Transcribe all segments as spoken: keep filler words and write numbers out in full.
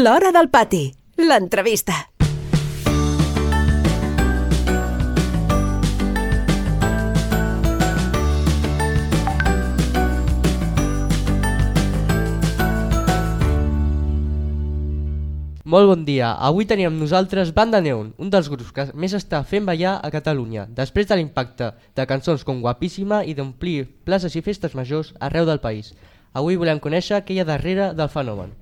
L'Hora del Pati, l'entrevista. Molt bon dia, avui tenim amb nosaltres Banda Neon, un dels grups que més està fent ballar a Catalunya, després de l'impacte de cançons com Guapíssima i d'omplir places i festes majors arreu del país. Avui volem conèixer què hi ha darrere del fenomen.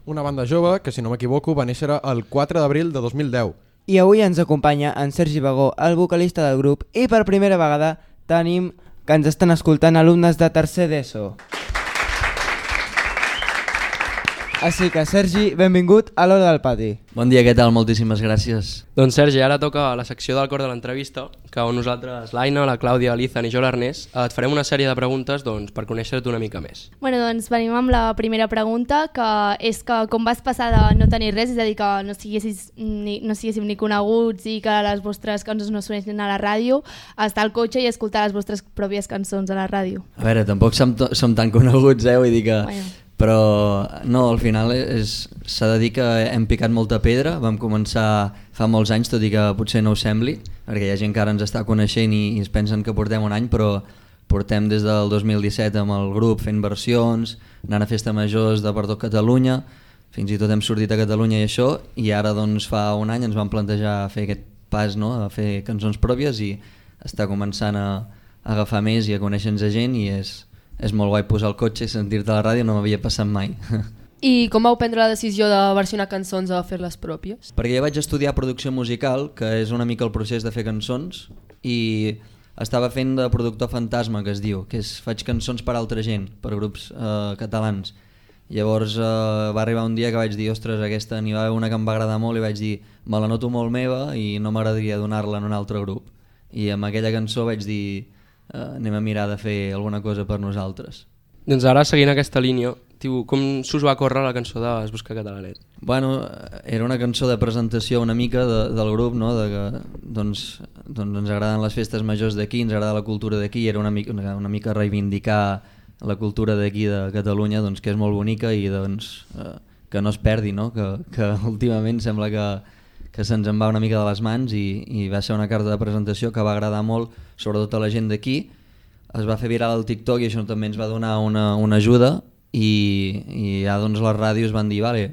Una banda jove que, si no m'equivoco, va néixer el quatre d'abril de dos mil deu. I avui ens acompanya en Sergi Bagó, el vocalista del grup, i per primera vegada tenim que ens estan escoltant alumnes de tercer d'ESO. Així que, Sergi, benvingut a l'Hora del Pati. Bon dia, què tal? Moltíssimes gràcies. Doncs Sergi, ara toca la secció del cor de l'entrevista, que on nosaltres, l'Aina, la Clàudia, l'Izan i jo l'Ernest, et farem una sèrie de preguntes doncs, per conèixer-te una mica més. Bueno, doncs venim amb la primera pregunta, que és que com vas passar de no tenir res, és a dir, que no siguessis ni, no siguéssim ni coneguts i que les vostres cançons no sonessin a la ràdio, a estar al cotxe i escoltar les vostres pròpies cançons a la ràdio. A veure, tampoc som, som tan coneguts, eh? Vull dir que... Bueno. Però no, al final s'ha de dir que hem picat molta pedra, vam començar fa molts anys, tot i que potser no ho sembli, perquè hi ha gent que ara ens està coneixent i, i es pensen que portem un any, però portem des del dos mil disset amb el grup fent versions, anant a festa majors de per tot Catalunya, fins i tot hem sortit a Catalunya i això, i ara doncs fa un any ens vam plantejar fer aquest pas, no?, a fer cançons pròpies i està començant a, a agafar més i a conèixer-nos a gent, i és... És molt guai posar el cotxe i sentir-te a la ràdio, no m'havia passat mai. I com vau prendre la decisió de versionar cançons o fer-les pròpies? Perquè jo vaig estudiar producció musical, que és una mica el procés de fer cançons, i estava fent de productor fantasma, que es diu, que és faig cançons per altra gent, per grups eh, catalans. Llavors eh, va arribar un dia que vaig dir, ostres, aquesta n'hi va haver una que em va agradar molt i vaig dir, me la noto molt meva i no m'agradaria donar-la en un altre grup. I amb aquella cançó vaig dir... Uh, anem a mirar de fer alguna cosa per nosaltres. Doncs ara, seguint aquesta línia, tiu, com s'us va córrer la cançó de Es busca catalanet? Bueno, era una cançó de presentació una mica de, del grup, no? De que doncs, doncs ens agraden les festes majors d'aquí, ens agrada la cultura d'aquí, era una mica, una, una mica reivindicar la cultura d'aquí de Catalunya, doncs, que és molt bonica i doncs, uh, que no es perdi, no? Que, que últimament sembla que que se'ns en va una mica de les mans i, i va ser una carta de presentació que va agradar molt, sobretot a la gent d'aquí. Es va fer viral al TikTok i això també ens va donar una, una ajuda i, i ja doncs les ràdios van dir, vale,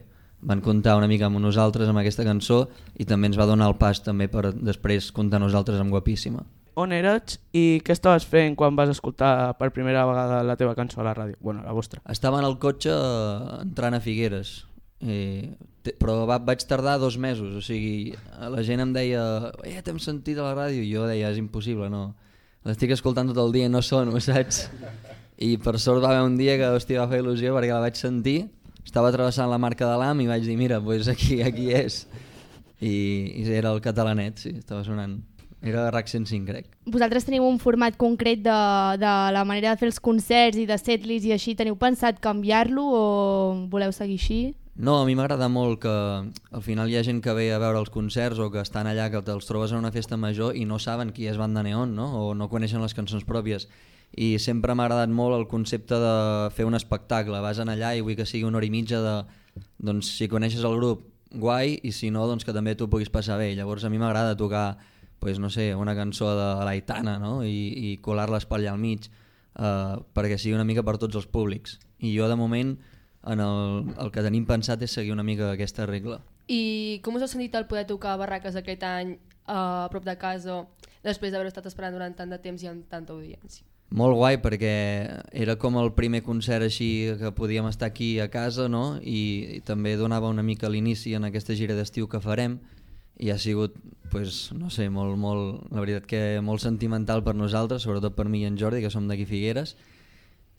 van comptar una mica amb nosaltres amb aquesta cançó i també ens va donar el pas també per després comptar nosaltres amb Guapíssima. On eres i què estaves fent quan vas escoltar per primera vegada la teva cançó a la ràdio? Bueno, la vostra. Estava en el cotxe entrant a Figueres. Eh, però va, vaig tardar dos mesos, o sigui, la gent em deia eh, t'hem sentit a la ràdio, i jo deia és impossible, no, l'estic escoltant tot el dia i no sono, saps? I per sort va haver un dia que hòstia, va fer il·lusió perquè la vaig sentir, estava travessant la Marca de l'Am i vaig dir mira, pues aquí, aquí és, i, i era el catalanet, sí, estava sonant. Era RAC cent cinc, crec. Vosaltres teniu un format concret de, de la manera de fer els concerts i de setlist i així, teniu pensat canviar-lo o voleu seguir així? No, a mi m'agrada molt que al final hi ha gent que ve a veure els concerts o que estan allà, que te'ls trobes en una festa major i no saben qui és Banda Neon, no? O no coneixen les cançons pròpies. I sempre m'ha agradat molt el concepte de fer un espectacle. Vas allà i vull que sigui una hora i mitja de... Doncs si coneixes el grup, guai, i si no, doncs que també tu puguis passar bé. Llavors a mi m'agrada tocar, pues, no sé, una cançó de l'Aitana, no? I, i colar-les per allà al mig, eh, perquè sigui una mica per tots els públics. I jo de moment... En el, el que tenim pensat és seguir una mica aquesta regla. I com us heu sentit el poder tocar a Barraques aquest any uh, a prop de casa després d'haver estat esperant durant tant de temps i amb tanta audiència? Molt guai, perquè era com el primer concert així que podíem estar aquí a casa, no? I, i també donava una mica l'inici en aquesta gira d'estiu que farem i ha sigut, pues, no sé, molt, molt, la veritat que molt sentimental per nosaltres, sobretot per mi i en Jordi, que som d'aquí Figueres.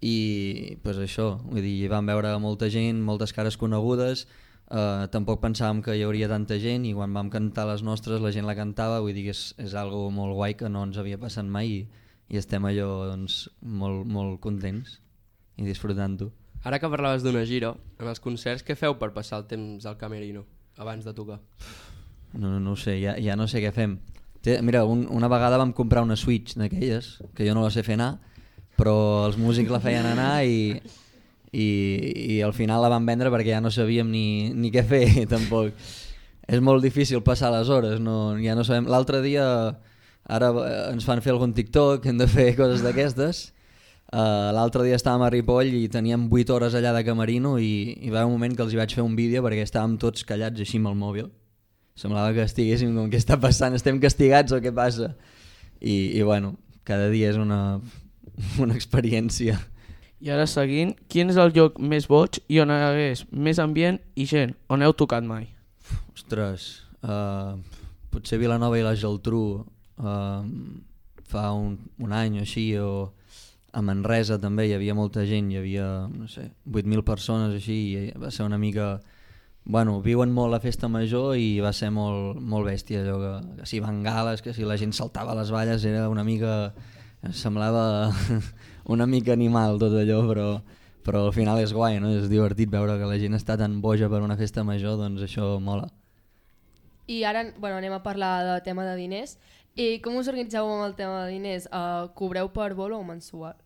I pues això, vull dir, vam veure molta gent, moltes cares conegudes, eh, tampoc pensàvem que hi hauria tanta gent i quan vam cantar les nostres la gent la cantava, vull dir que és, és algo molt guai que no ens havia passat mai i, i estem allò doncs, molt, molt contents i disfrutant-ho. Ara que parlaves d'una gira, en els concerts què feu per passar el temps al camerino abans de tocar? No, no ho sé, ja, ja no sé què fem. Té, mira, un, una vegada vam comprar una Switch d'aquelles, que jo no la sé fer anar, però els músics la feien anar i, i, i al final la vam vendre perquè ja no sabíem ni, ni què fer tampoc. És molt difícil passar les hores, no, ja no sabem. L'altre dia ara ens fan fer algun TikTok, hem de fer coses d'aquestes. Uh, l'altre dia estàvem a Ripoll i teníem vuit hores allà de camerino i, i va haver un moment que els hi vaig fer un vídeo perquè estàvem tots callats així amb el mòbil. Semblava que estiguéssim com què està passant, estem castigats o què passa? I, i bueno, cada dia és una, una experiència. I ara seguint, quin és el lloc més boig i on hi hagués més ambient i gent? On heu tocat mai? Ostres, uh, potser Vilanova i la Geltrú uh, fa un, un any o així, o a Manresa també hi havia molta gent, hi havia, no sé, vuit mil persones així, i va ser una mica... Bueno, viuen molt la festa major i va ser molt, molt bèstia, allò que, que si bengales, que si la gent saltava a les valles, era una mica... semblava una mica animal tot allò, però, però al final és guai, no? És divertit veure que la gent està tan boja per una festa major, doncs això mola. I ara bueno, anem a parlar de tema de diners. I com us organitzeu amb el tema de diners? Uh, cobreu per bolo o mensual?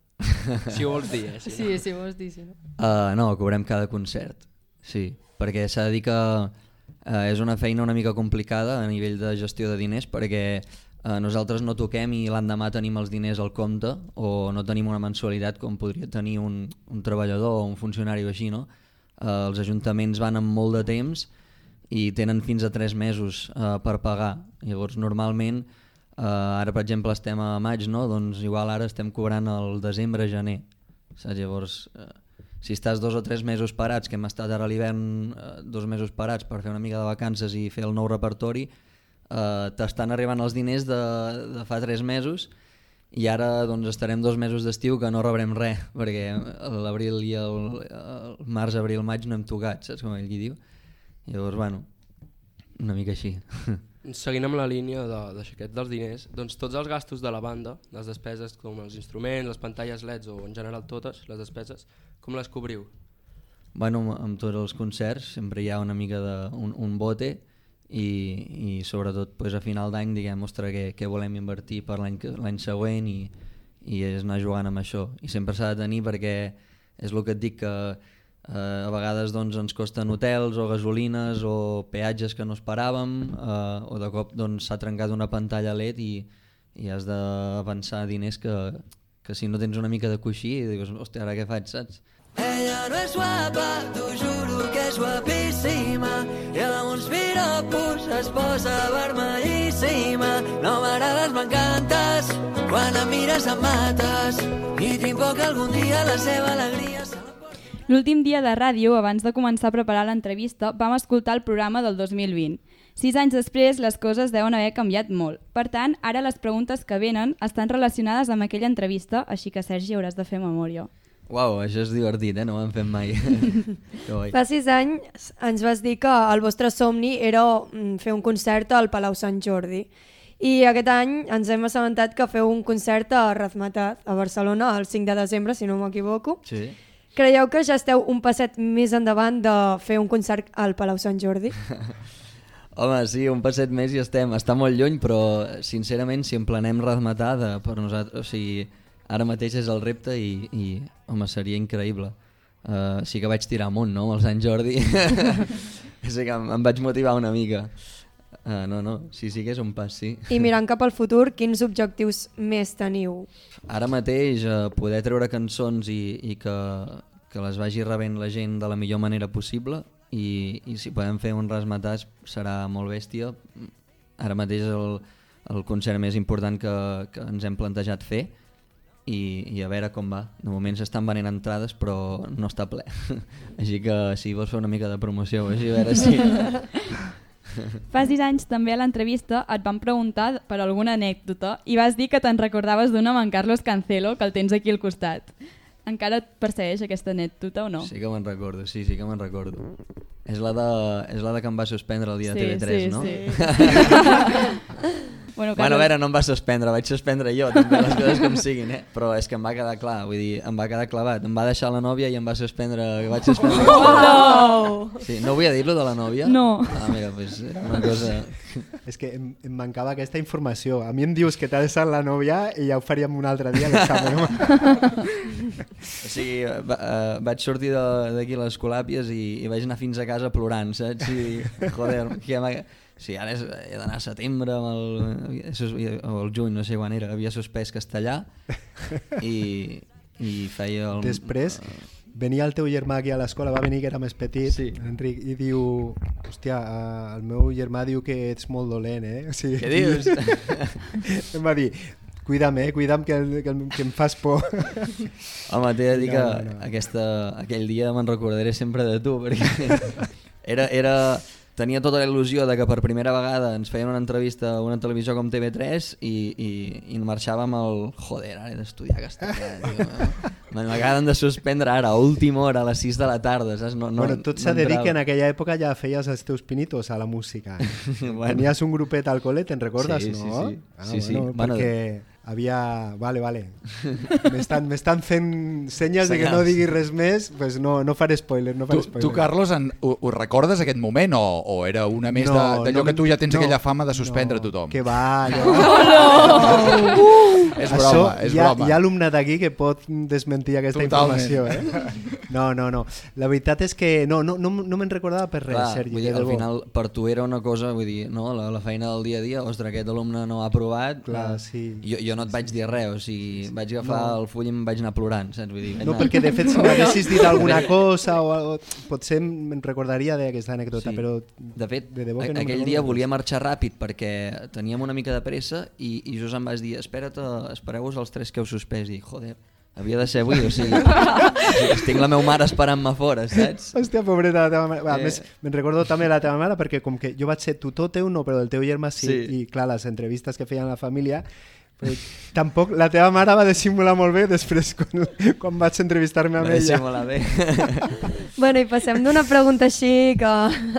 Si ho vols dir, eh? Si sí, no. si ho vols dir, sí. No? Uh, no, cobrem cada concert, sí, perquè s'ha de dir que uh, és una feina una mica complicada a nivell de gestió de diners, perquè uh, nosaltres no toquem i l'endemà tenim els diners al compte o no tenim una mensualitat com podria tenir un, un treballador o un funcionari o així, no? Uh, els ajuntaments van amb molt de temps i tenen fins a tres mesos uh, per pagar, llavors normalment Uh, ara per exemple estem a maig, no? Doncs igual ara estem cobrant el desembre, gener, saps? Llavors uh, si estàs dos o tres mesos parats, que hem estat ara a l'hivern uh, dos mesos parats per fer una mica de vacances i fer el nou repertori, uh, t'estan arribant els diners de, de fa tres mesos i ara doncs estarem dos mesos d'estiu que no rebrem res, perquè l'abril i el, el març, abril, maig no hem tocat, saps com ell qui diu? Llavors, bueno, una mica així. Seguint amb la línia de, d'aixequet dels diners, doncs tots els gastos de la banda, les despeses com els instruments, les pantalles L E Ds o en general totes les despeses, com les cobriu? Bueno, amb tots els concerts sempre hi ha una mica de un, un bote i, i sobretot pues, a final d'any diguem, ostres, què, què volem invertir per l'any, l'any següent i, i és anar jugant amb això. I sempre s'ha de tenir perquè és el que et dic que Uh, a vegades doncs, ens costen hotels o gasolines o peatges que no esperàvem uh, o de cop doncs, s'ha trencat una pantalla L E D i, i has d'avançar diners que, que si no tens una mica de coixí i dius, hòstia, ara què faig, saps? Ella no és guapa, t'ho juro que és guapíssima i amb uns piropos es posa vermellíssima. No m'agrades, m'encantes, quan em mires em mates i tinc por que algun dia la seva alegria... L'últim dia de ràdio, abans de començar a preparar l'entrevista, vam escoltar el programa del dos mil vint. Sis anys després, les coses deuen haver canviat molt. Per tant, ara les preguntes que venen estan relacionades amb aquella entrevista, així que, Sergi, hauràs de fer memòria. Uau, això és divertit, eh? No ho hem fet mai. Fa sis anys ens vas dir que el vostre somni era fer un concert al Palau Sant Jordi. I aquest any ens hem assabentat que feu un concert a Razmetat, a Barcelona, el cinc de desembre, si no m'equivoco. Sí. Creieu que ja esteu un passet més endavant de fer un concert al Palau Sant Jordi? Home, sí, un passet més i estem. Està molt lluny, però sincerament si emplenem Razmetat, per nosaltres, o sigui, ara mateix és el repte i, i home, seria increïble. Uh, sí que vaig tirar amunt, no?, amb el Sant Jordi. Sí que em, em vaig motivar una mica. Uh, no, no, sí, sí que és un pas, sí. I mirant cap al futur, quins objectius més teniu? Ara mateix uh, poder treure cançons i, i que, que les vagi rebent la gent de la millor manera possible i, i si podem fer un Razmetat serà molt bèstia. Ara mateix és el, el concert més important que, que ens hem plantejat fer i, i a veure com va. De moment s'estan venent entrades però no està ple. Així que si vols fer una mica de promoció, així a veure si... Fa sis anys també a l'entrevista et van preguntar per alguna anècdota i vas dir que te'n recordaves d'una amb en Carlos Cancelo, que el tens aquí al costat. Encara et persegueix aquesta anècdota o no? Sí que me'n recordo, sí, sí que me'n recordo. És la, de, és la de que em va suspendre el dia sí, de T V tres, sí, no? Sí. Bueno, bueno, a veure, no em va suspendre, vaig suspendre jo, també les coses com siguin, eh? Però és que em va quedar clar, vull dir, em va quedar clavat. Em va deixar la nòvia i em va suspendre, vaig suspendre. Oh! Sí, no volia dir-lo de la nòvia? No. Ah, mira, doncs era una cosa... És que em, em mancava aquesta informació. A mi em dius que t'ha deixat la nòvia i ja ho faríem un altre dia l'examen. O sigui, va, uh, vaig sortir d'aquí a les Colàpies i, i vaig anar fins a casa plorant, saps? I, joder, que m'ha... Sí, ara és, he d'anar a setembre amb el, o el juny, no sé quan era, havia suspès castellà i, i feia... El, Després venia el teu germà aquí a l'escola, va venir que era més petit, sí. Enric, i diu, hòstia, el meu germà diu que ets molt dolent, eh? O sigui, què dius? Em va dir, cuida'm, eh? Cuida'm que, que, que em fas por. Home, t'he de dir que no, no. Aquesta, aquell dia me'n recordaré sempre de tu, perquè era... era tenia tota la il·lusió de que per primera vegada ens feien una entrevista a una televisió com T V tres i, i, i marxàvem al... Joder, ara he d'estudiar castellà. M'acaben de suspendre ara, a última hora, a les sis de la tarda. Saps? No, no, bueno, tot s'ha no de dir que en aquella època ja feies els teus pinitos a la música. Bueno. Tenies un grupet al col·le, te'n recordes, sí, no? Sí, sí. Ah, sí, sí. Bueno, bueno, perquè... havia... Vale, vale. M'estan fent senyes de que no diguis res més, pues no, no faré spoiler, no faré tu, spoiler. Tu, Carlos, en, ho, ho recordes aquest moment o, o era una més no, d'allò no, que tu ja tens no, aquella fama de suspendre no, tothom? Que va, ja... No, no. Uh, és broma, Això, és hi ha, broma. Hi ha alumne d'aquí que pot desmentir aquesta Totalment. informació, eh? No, no, no. La veritat és que no, no, no, no me'n recordava per res, Clar, Sergi. Vull dir, al final, per tu era una cosa, vull dir, no? la, la feina del dia a dia, ostres, aquest alumne no ha aprovat, Clar, sí. jo, jo no et vaig dir res, o sigui, vaig agafar no. el full i em vaig anar plorant, saps? Vull dir, no, anar... perquè de fet si m'haguessis dit alguna cosa o, o potser me'n recordaria d'aquesta anècdota, sí. Però de fet, de debò que no aquell dia volia marxar ràpid perquè teníem una mica de pressa i, i just em vas dir, espera't, espereu-vos els tres que heu suspès, i joder, havia de ser avui, o sigui, estic la meva mare esperant-me fora, saps? Hòstia, pobreta la teva mare. A eh... més, me'n recordo també la teva mare perquè com que jo vaig ser tutor teu, no, però del teu germà sí, sí. I clar, les entrevistes que feien a la família, però tampoc la teva mare va dissimular molt bé després quan, quan vaig entrevistar-me amb va ella. Dissimular bé. Bueno, i passem d'una pregunta així que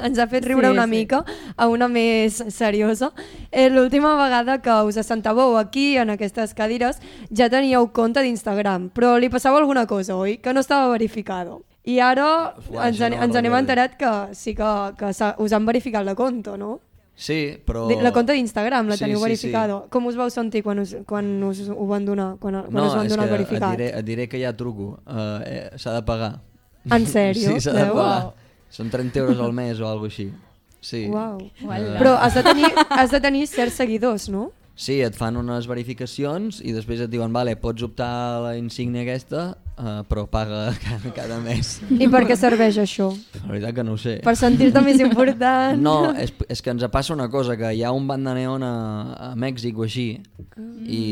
ens ha fet riure sí, una sí. mica a una més seriosa. Eh, L'última vegada que us assentàveu aquí en aquestes cadires ja teníeu compte d'Instagram, però li passava alguna cosa, oi? Que no estava verificado. I ara Uah, ens, no ens anem enterat que sí que, que us han verificat la compte, no? Sí, però... La compte d'Instagram la sí, teniu sí, verificada. sí. Com us vau sentir quan us, quan us ho van donar, quan, quan no, us van donar el verificat? No, et diré, et diré que ja truco. Uh, eh, s'ha de pagar. En sèrio? Sí, s'ha de pagar. Wow. Són trenta euros al mes o alguna cosa així. Sí. Uau. Uh, Però has de, tenir, has de tenir certs seguidors, no? Sí, et fan unes verificacions i després et diuen, vale, pots optar a la insígnia aquesta, uh, però paga cada, cada mes. I per què serveix això? La veritat que no ho sé. Per sentir-te més important? No, és, és que ens passa una cosa, que hi ha un banda neon a, a Mèxic o així, mm. i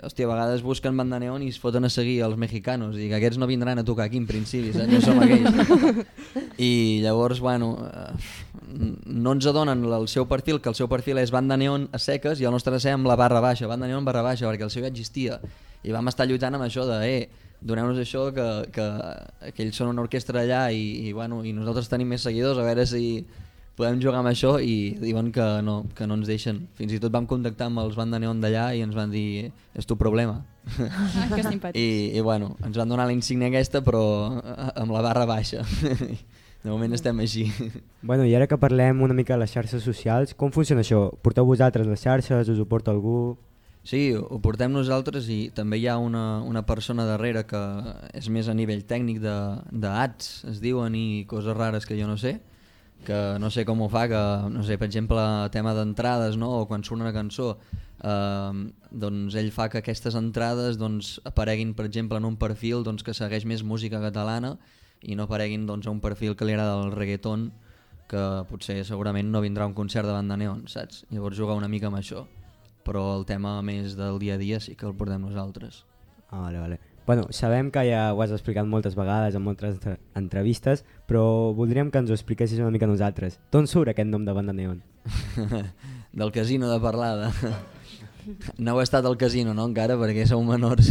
hòstia, a vegades busquen banda neon i es foten a seguir els mexicanos, i que aquests no vindran a tocar aquí en principi, saps? No som aquells. I llavors, bueno, no ens adonen el seu perfil, que el seu perfil és banda neon a seques i el nostre ser amb la barra baixa, banda neon barra baixa, perquè el seu ja existia. I vam estar lluitant amb això de, eh, doneu-nos això, que, que, que ells són una orquestra allà i, i, bueno, i nosaltres tenim més seguidors, a veure si podem jugar amb això, i diuen que no, que no ens deixen. Fins i tot vam contactar amb els banda neon d'allà i ens van dir, és tu problema. Ah, que simpàtic. I, I bueno, ens van donar la insígnia aquesta, però amb la barra baixa. De moment estem així. Bueno, i ara que parlem una mica de les xarxes socials, com funciona això? Porteu vosaltres les xarxes, us ho porta algú? Sí, ho portem nosaltres i també hi ha una, una persona darrere que és més a nivell tècnic de, de ads, es diuen, i coses rares que jo no sé, que no sé com ho fa, que no sé, per exemple, tema d'entrades, no? O quan surt una cançó, eh, doncs ell fa que aquestes entrades doncs, apareguin, per exemple, en un perfil doncs, que segueix més música catalana i no apareguin doncs, a un perfil que li agrada el reggaeton, que potser segurament no vindrà a un concert de banda neon, saps? Llavors jugar una mica amb això, però el tema més del dia a dia sí que el portem nosaltres. Ah, vale, vale. Bueno, sabem que ja ho has explicat moltes vegades en moltes entrevistes, però voldríem que ens ho expliquessis una mica a nosaltres. D'on surt aquest nom de banda neon? Del casino de Parlada. No heu estat al casino, no, encara, perquè sou menors.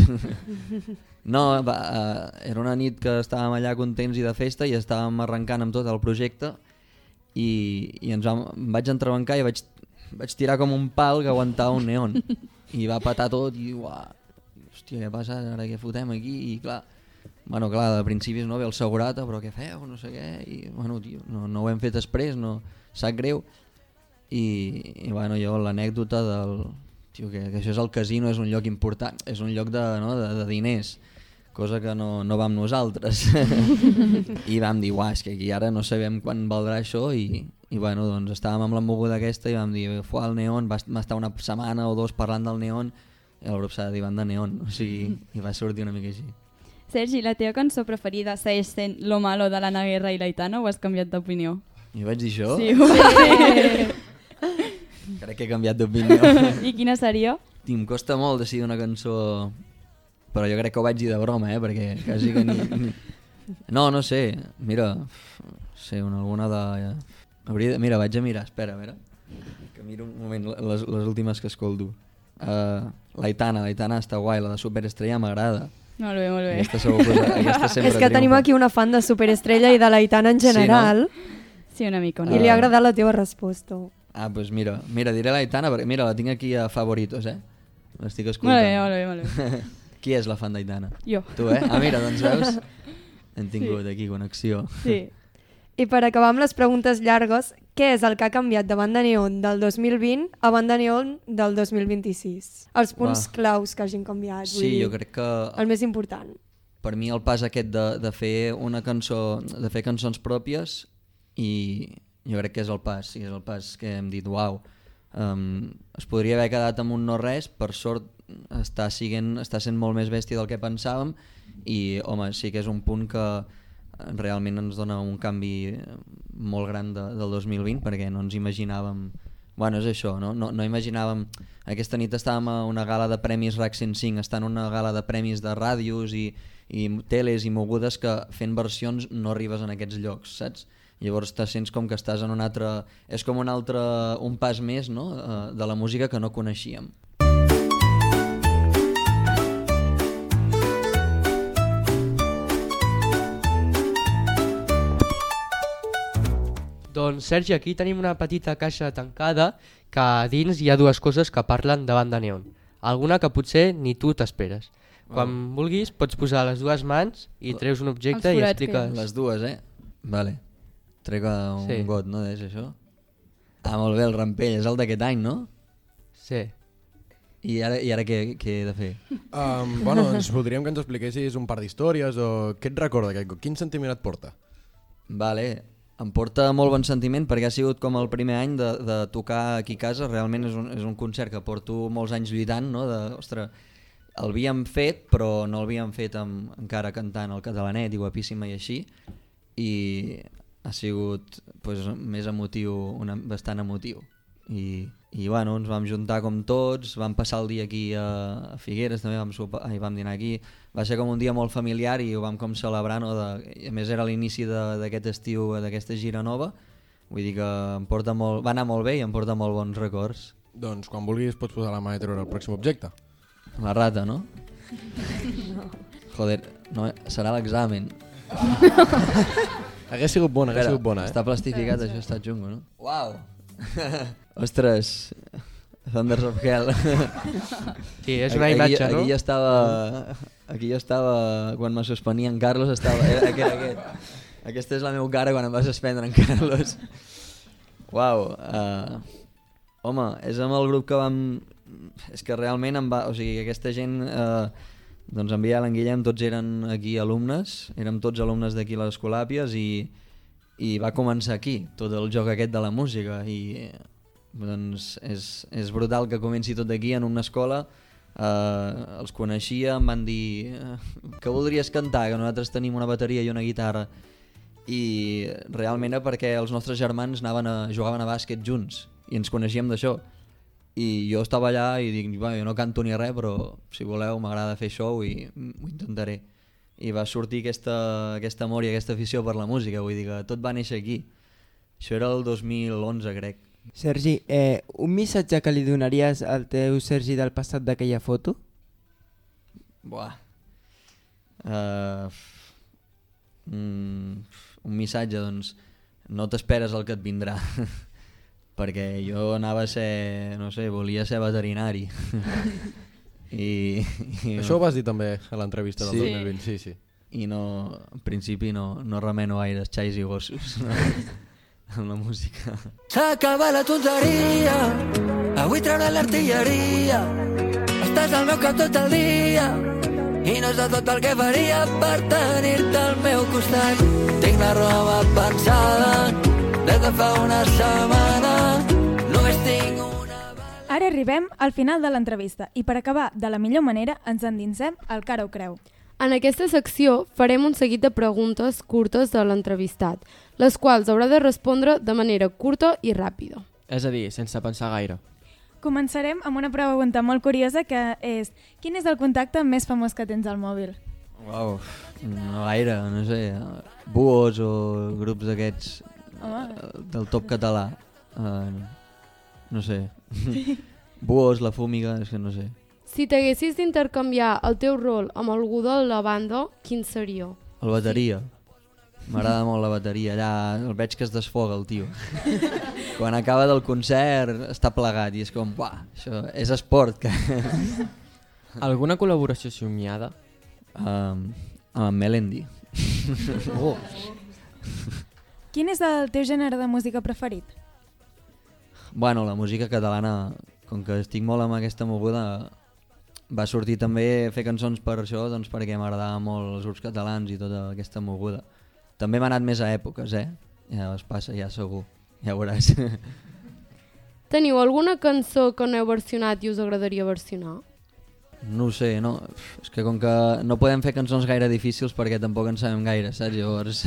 No, va, uh, era una nit que estàvem allà contents i de festa i estàvem arrencant amb tot el projecte i, i ens vam, em vaig entrebancar i vaig, vaig tirar com un pal que aguantava un neon i va patar tot i uah, hòstia, què passa, ara què fotem aquí? I clar, bueno, clar, de principis no ve el segurata, però què feu, no sé què, i bueno, tio, no, no ho hem fet després, no, sap greu. I, i bueno, jo l'anècdota del... Tio, que, que això és el casino, és un lloc important, és un lloc de, no, de, de diners, cosa que no, no vam nosaltres. I vam dir, uah, és que aquí ara no sabem quan valdrà això i, i bueno, doncs estàvem amb la moguda aquesta i vam dir, fuà, el neon, va estar una setmana o dos parlant del neon i el grup s'ha de dir banda neon, o sigui, i va sortir una mica així. Sergi, la teva cançó preferida segueix sent Lo malo de l'Anna Guerra i l'Aitana o has canviat d'opinió? Jo vaig dir això? Sí, ho vaig dir. Crec que he canviat d'opinió. I quina seria? I em costa molt decidir una cançó, però jo crec que ho vaig dir de broma, eh? Perquè quasi que ni... ni... No, no sé, mira, no sé, una, alguna de... Hauria de... Mira, vaig a mirar, espera, a veure, que miro un moment les, les últimes que escolto. Uh, l'Aitana, l'Aitana està guai, la de Superestrella m'agrada. Molt bé, molt bé. Aquesta segur, aquesta sempre És que tenim triomfa. aquí una fan de Superestrella i de l'Aitana en general. Sí, no? Sí, una mica. Una I li ha agradat la teva resposta. Ah, doncs pues mira, mira, diré l'Aitana, perquè mira, la tinc aquí a favoritos, eh? L'estic escoltant. Molt bé, molt bé, molt bé. Qui és la fan d'Aitana? Jo. Tu, eh? Ah, mira, doncs veus? Hem tingut sí. aquí connexió. Sí. I per acabar amb les preguntes llargues, què és el que ha canviat de Banda Neon del dos mil vint a Banda Neon del dos mil vint-i-sis? Els punts Uah. claus que hagin canviat. Sí, vull dir, jo crec que... El més important. Per mi el pas aquest de, de fer una cançó, de fer cançons pròpies, i jo crec que és el pas, sí, és el pas que hem dit, uau, um, es podria haver quedat amb un no res, per sort està, siguent, està sent molt més bèstia del que pensàvem, i home, sí que és un punt que realment ens dona un canvi molt gran de, del dos mil vint, perquè no ens imaginàvem, bueno, és això, no? No, no imaginàvem, aquesta nit estàvem a una gala de premis RAC cent cinc, estant una gala de premis de ràdios i, i teles i mogudes que fent versions no arribes en aquests llocs, saps? Llavors te sents com que estàs en un altre... És com un altre, un pas més, no? De la música que no coneixíem. Doncs Sergi, aquí tenim una petita caixa tancada que a dins hi ha dues coses que parlen de Banda Neon. Alguna que potser ni tu t'esperes. Quan oh. vulguis pots posar les dues mans i treus un objecte i expliques... Les dues, eh? Vale. Trec un sí. got, no? És això? Ah, molt bé, el rampell. És el d'aquest any, no? Sí. I ara, i ara què, què he de fer? Um, bueno, ens voldríem que ens expliquessis un par d'històries o què et recorda aquest got? Quin sentiment et porta? Vale, em porta molt bon sentiment perquè ha sigut com el primer any de, de tocar aquí a casa. Realment és un, és un concert que porto molts anys lluitant, no? De, ostres, el havíem fet però no el havíem fet amb, encara cantant el catalanet i guapíssima i així, i ha sigut pues, més emotiu, una, bastant emotiu. I, i bueno, ens vam juntar com tots, vam passar el dia aquí a, a Figueres, també vam, sopar, ai, vam dinar aquí. Va ser com un dia molt familiar i ho vam com celebrar, no? De, a més era l'inici d'aquest estiu, d'aquesta gira nova, vull dir que em porta molt, va anar molt bé i em porta molt bons records. Doncs quan vulguis pots posar la mà i treure el pròxim objecte. La rata, no? No. Joder, no, serà l'examen. Hagués sigut bona, hagués sigut bona, eh? Està plastificat, això està xungo, no? Uau! Ostres, Thunders of Hell. Sí, és una imatge, aquí, no? Aquí jo estava, aquí jo estava, quan me suspenia en Carlos, estava, era aquest, aquest. Aquesta és la meva cara quan em va suspendre en Carlos. Uau! Uh, home, és amb el grup que vam... És que realment em va... O sigui, aquesta gent... Uh, doncs en Biel, en Guillem, tots eren aquí alumnes, érem tots alumnes d'aquí a les Escolàpies i, i va començar aquí, tot el joc aquest de la música i doncs és, és brutal que comenci tot aquí en una escola, eh, els coneixia, em van dir que voldries cantar, que nosaltres tenim una bateria i una guitarra i realment era perquè els nostres germans anaven a, jugaven a bàsquet junts i ens coneixíem d'això. I jo estava allà i dic, bueno, jo no canto ni res, però si voleu m'agrada fer show i ho intentaré. I va sortir aquesta, aquest amor i aquesta afició per la música, vull dir que tot va néixer aquí. Això era el dos mil onze, crec. Sergi, eh, un missatge que li donaries al teu Sergi del passat d'aquella foto? Buah. Uh, mm, un missatge, doncs, no t'esperes el que et vindrà. perquè jo anava a ser, no sé, volia ser veterinari. I, i Això ho vas dir també a l'entrevista del sí. dos mil vint, sí, sí. I no, en principi no, no remeno gaire xais i gossos no? amb la música. S'acaba la tonteria, avui treure l'artilleria, estàs al meu cap tot el dia i no és de tot el que faria per tenir-te al meu costat. Tinc la roba pensada des de fa una setmana, només tinc una... Ara arribem al final de l'entrevista i per acabar de la millor manera ens endinsem al Cara o Creu. En aquesta secció farem un seguit de preguntes curtes de l'entrevistat, les quals haurà de respondre de manera curta i ràpida. És a dir, sense pensar gaire. Començarem amb una pregunta molt curiosa que és: quin és el contacte més famós que tens al mòbil? Uau, no gaire, no sé, buos o grups d'aquests oh. del top català. Uh, no sé. Buos, La Fúmiga, és que no sé. Si t'haguessis d'intercanviar el teu rol amb algú de la banda, quin seria? El bateria. M'agrada molt la bateria. Allà el veig que es desfoga el tio. Quan acaba del concert està plegat i és com, uah, això és esport. Que... Alguna col·laboració somiada? Um, amb Melendi. Oh. Quin és el teu gènere de música preferit? Bueno, la música catalana, com que estic molt amb aquesta moguda, va sortir també a fer cançons per això, doncs perquè m'agradava molt els grups catalans i tota aquesta moguda. També m'ha anat més a èpoques, eh? Ja es passa, ja segur, ja ho veuràs. Teniu alguna cançó que no heu versionat i us agradaria versionar? No ho sé, no. És que com que no podem fer cançons gaire difícils perquè tampoc en sabem gaire, saps? Llavors,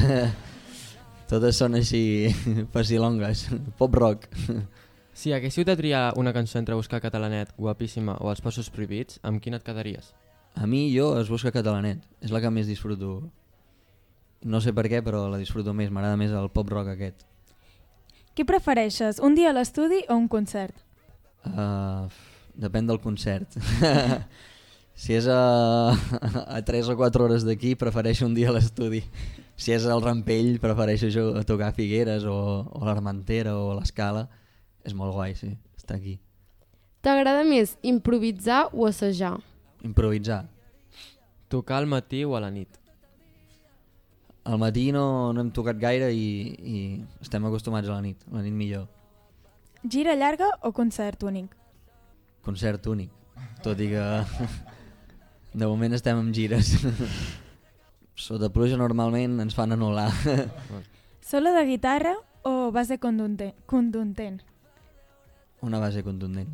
totes són així facilongues, pop rock. Si haguéssiu de triar una cançó entre Buscar Catalanet, Guapíssima o Els Passos Prohibits, amb quina et quedaries? A mi, jo, es Busca Catalanet. És la que més disfruto. No sé per què, però la disfruto més. M'agrada més el pop rock aquest. Què prefereixes, un dia a l'estudi o un concert? Uh, depèn del concert. Si és a, a tres o quatre hores d'aquí, prefereixo un dia a l'estudi. Si és al Rampell, prefereixo jo tocar a Figueres o, o a l'Armentera o a l'Escala. És molt guai, sí, estar aquí. T'agrada més improvisar o assajar? Improvisar. Tocar al matí o a la nit? Al matí no, no hem tocat gaire i, i estem acostumats a la nit, a la nit millor. Gira llarga o concert únic? Concert únic, tot i que de moment estem amb gires. Sota pluja normalment ens fan anul·lar. Solo de guitarra o base contundent? Una base contundent.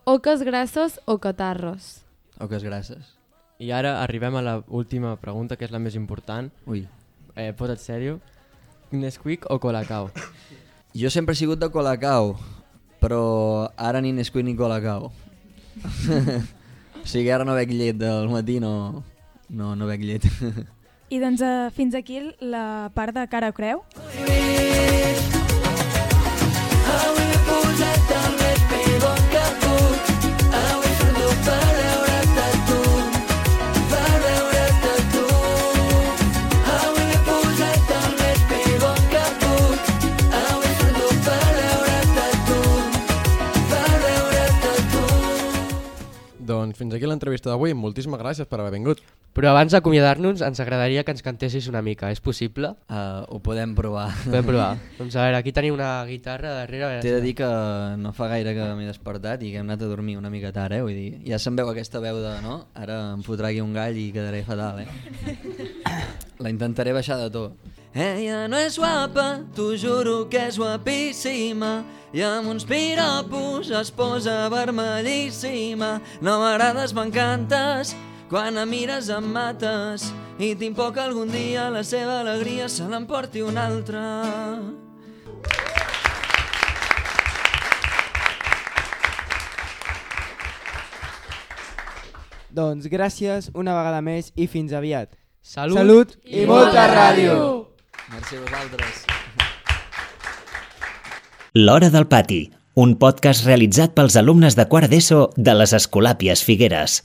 Oques grasses o catarres? Oques grasses. I ara arribem a la última pregunta, que és la més important. Ui. Eh, posa't sèrio. Nesquik o Colacao? Jo sempre he sigut de Colacao, però ara ni Nesquik ni Colacao. O sigui, ara no bec llet del matí, no, no, no bec llet. I doncs uh, fins aquí la part de Cara o Creu. Avui m'he posat el més pibon que puc, avui surto per veure't a tu, per veure't a tu. Avui m'he posat el més pibon que puc, avui surto per veure't a tu, per veure't a tu. Doncs fins aquí l'entrevista d'avui, moltíssimes gràcies per haver vingut. Però abans d'acomiadar-nos ens agradaria que ens cantessis una mica, és possible? Uh, ho podem provar. Podem provar. Doncs a veure, aquí teniu una guitarra darrere. T'he de dir que no fa gaire que m'he despertat i que hem anat a dormir una mica tard, eh? Vull dir, ja se'n veu aquesta veu de, no? Ara em fotrà aquí un gall i quedaré fatal, eh? La intentaré baixar de to. Ella no és guapa, t'ho juro que és guapíssima, i amb uns piropos es posa vermellíssima. No m'agrades, m'encantes, quan em mires em mates, i tinc por que algun dia la seva alegria se l'emporti un altre. Doncs gràcies una vegada més i fins aviat. Salut, Salut i, i molta ràdio! Merci a vosaltres. L'Hora del Pati, un podcast realitzat pels alumnes de quart d'ESO de les Escolàpies Figueres.